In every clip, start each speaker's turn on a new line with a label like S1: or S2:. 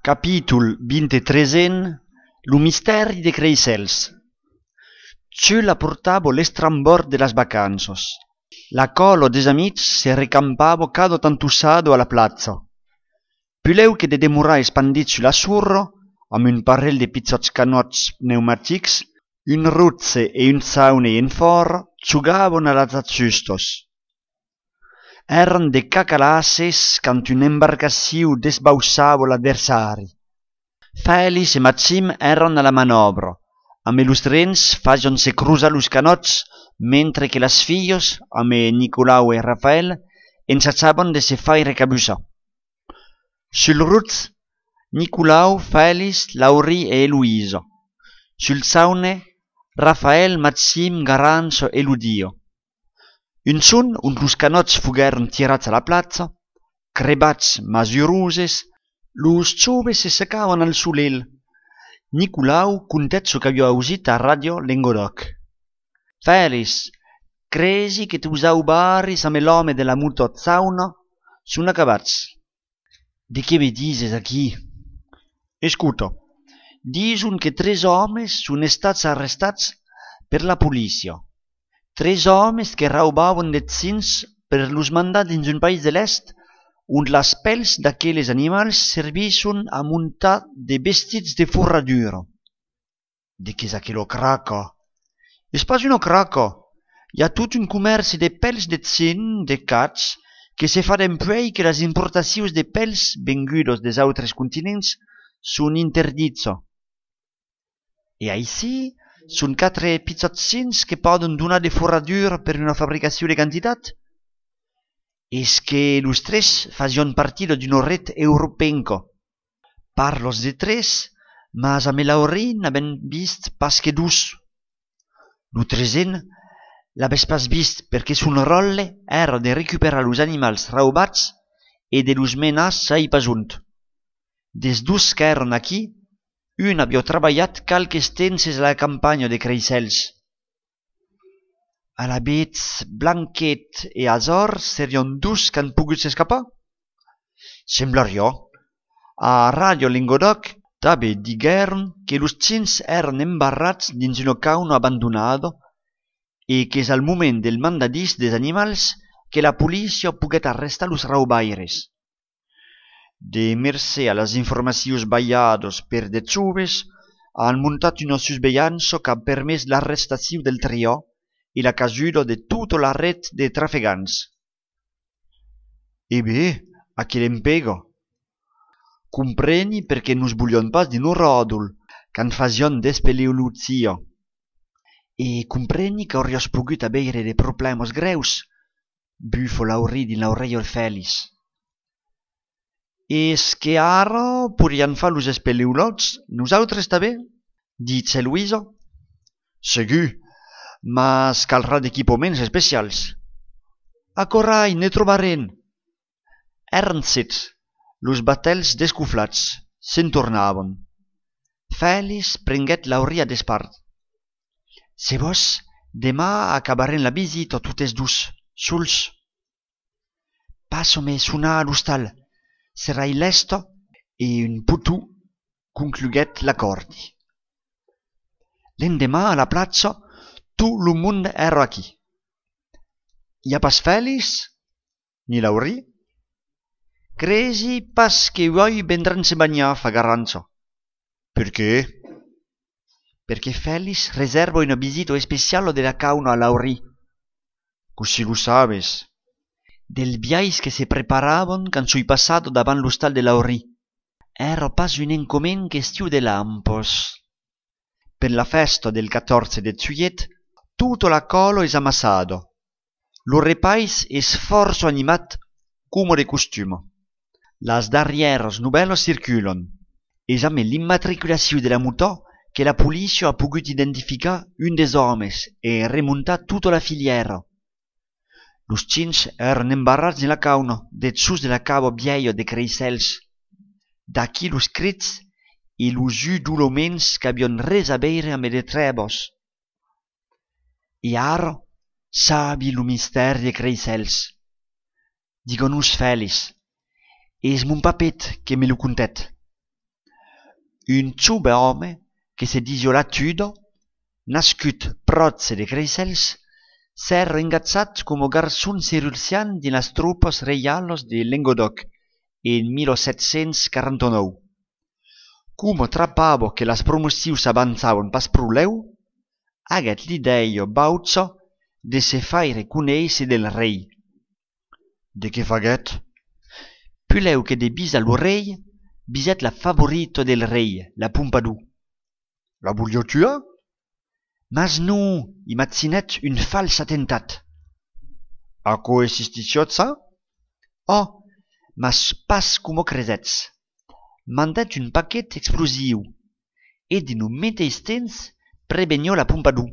S1: Capítol 23 Lo misteri de Creisels. Ciù la portavo l'estrambord de las vacanzos. La colo des amics se recampavo cado tantussado a la plazza. Puleu che de demorar espandit su l'assurro, amb un parell de pizzots canots pneumatics, un ruzze e un saune en for, giugavano a las azzustos. Eran de cacalasses cant un embarcassiu desbaussavo l'adversari. Félix e Maxim eran a la manovra, amb los trens facion se cruzar los canots, mentre que las fillos, amb Nicolau e Rafael, ensatjaven de se faire cabussar. Sul ruz, Nicolau, Félix, Laurie e Eloïsa. Sul saune, Rafael, Maxim, Garanzo e Ludio. Un son und los canots fugueren tirats a la platza, crebats masuruses, los joves se secavan al solel. Nicolau contet so qu'avia ausit a radio Lengodoc. Félix, cresi que tus aubaris amb l'home de la muta zauna son acabats. De què me dises aquí? Escuta, dison que 3 homes son estats arrestats per la policia. 3 homes que raubaven de cins per los mandar dins un país de l'est on las pels d'aquelles animals servisson a muntar de vestits de forradura. De què és aquello craca? És pas una craca. Hi ha tot un comerç de pels de cin, de cats, que se fa dempuèi que les importacions de pels vengudos des altres continents són interdits. E aicí són 4 pizzotzins que poden donar de forradura per una fabricació de quantitat? És que los 3 facion partida d'una red europenca. Parlos de 3, mas amb Laurie n'aven vist pas que 2. Lo 3en l'aves pas vist perquè son rolle era de recuperar los animals raubats e de los menar sai pasunt. Des 2 que eran aquí, un havia treballat calques tenses a la campanya de Creisels. Alavetz, Blanquet e Azor serion 2 qu'han pogut s'escapar? Semblaria. A Radio Lengodoc tabe digueren que los cins eran embarrats dins una cauna abandonada e que és al moment del mandadís des animals que la policia poguet arrestar los raubaires. De mercè a las informacions ballados per de joves, han muntat una susveillança qu'ha permès l'arrestació del trio e la cajuda de tota la red de trafegants. E bé, a che l'empega? Compreni perché nos voglion pas din un rodul, can facion despeleuluzia. E compreni che aurios pogut abeire de problemos greus, bufo Laurie din l'aureio Félix. Es que ara podrian fa los espeleulots, nosaltres també? Ditz Eloïsa. Segur, mas calrà d'equipaments especials. A Corai ne trobaren. Eren 7, los batels descuflats, se'n tornaven. Félix prenguet Laurie a despart. Se vos, demà acabaren la visita totes 2, sols. Passo-me sonar a l'hostal. Serai lesto e un putu concluguet l'accordi. L'endemà a la platza tot lo mund era aquí. Hi ha pas Félix? Ni Laurie? Cresi pas que voi vendran se bagnar fa Garanzo. Per què? Perché Félix reserva una visita speciale della cauna a Laurie. Così lo sabes. Del viais que se preparaven quand sui passato davant l'hostal de Laurie. Era pas un encomen question de lampos. Per la festa del 14 de juillet, tutto la colo es amassado. Lo repais es forzo animat como de costume. Las darrieres novelas circulan. Es amb l'immatriculació de la muta que la policia ha pogut identificar un des homes e remuntar tota la filiera. Los cins eran embarrats in la cauna, dessús de la cava vieia de Creisels. D'aquí los crits e los udoloments qu'havion res a veire amb de trebos. E ara sabi lo misteri de Creisels. Digon-nos Félix, és mon papet que me lo contet. un jove home que se disio Latudo, nascut pròtse de Creixels, s'era ingazzat como garçon cirurgian dins las tropas reialos de Languedoc en 1749. Como trapavo que las promocions avanzavan pas prou, aguet l'idea bauza de se faire conèisser del rei. De què faguet? Puleu que de bis a lo rei, biset la favorito del rei, la Pompadour. La voulio tua? Mas non, imagina't un fals attentat. A quoi existiciot ça? Oh, mas pas como cresetz. Mandat un paquet explosiu, et de no mateix temps prevenio la Pompadour.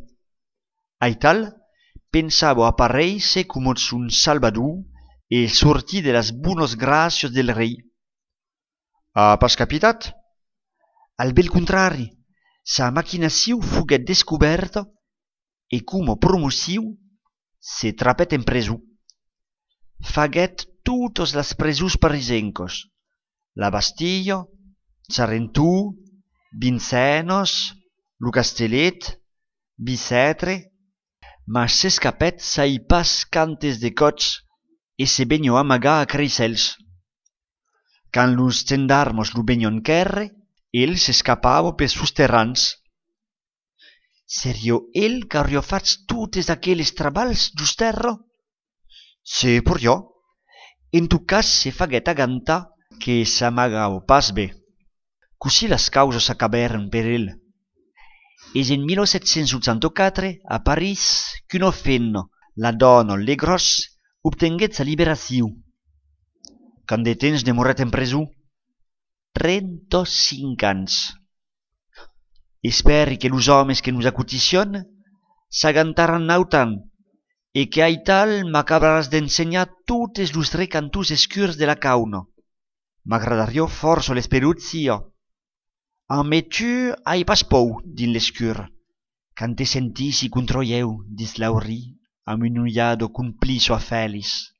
S1: Aital, pensavo aparèixer como un salvador e sortir de las bones gràcies del rei. A pas capitat? Al bel contrari, sa maquinació foguet descoberta e como promoció se trapèt en presó. Faguet totes las presons parisencos, la Bastilla, Charentou, Vincennes, lo Castellet, Bicêtre, mas s'escapèt sai pas cantes de cots e se venio amagar a Creixels. Quand los gendarmos lo venion querre, el s'escapava per sus terrans. Serio el qu'auria fatz totes aquelles traballs giusterra? Se por jo. En tot cas se faguet agantar que s'amagava pas bé. Così las causas acabèren per el. És en 1784, a París, qu'una femna, la dona Legros, obtenguet sa liberació. Quant de temps demoret en presó? 35 anys. Esperi que los homes que nos acoticion s'agantaran autant e que aital m'acabaràs d'ensenyar totes los recantors escurs de la cauna. M'agradaria força l'esperuzia. Mais tu ai pas pou din l'escur, quand te sentissi contra eu, dis Laurie, amb un ullado compliço a Fèlix.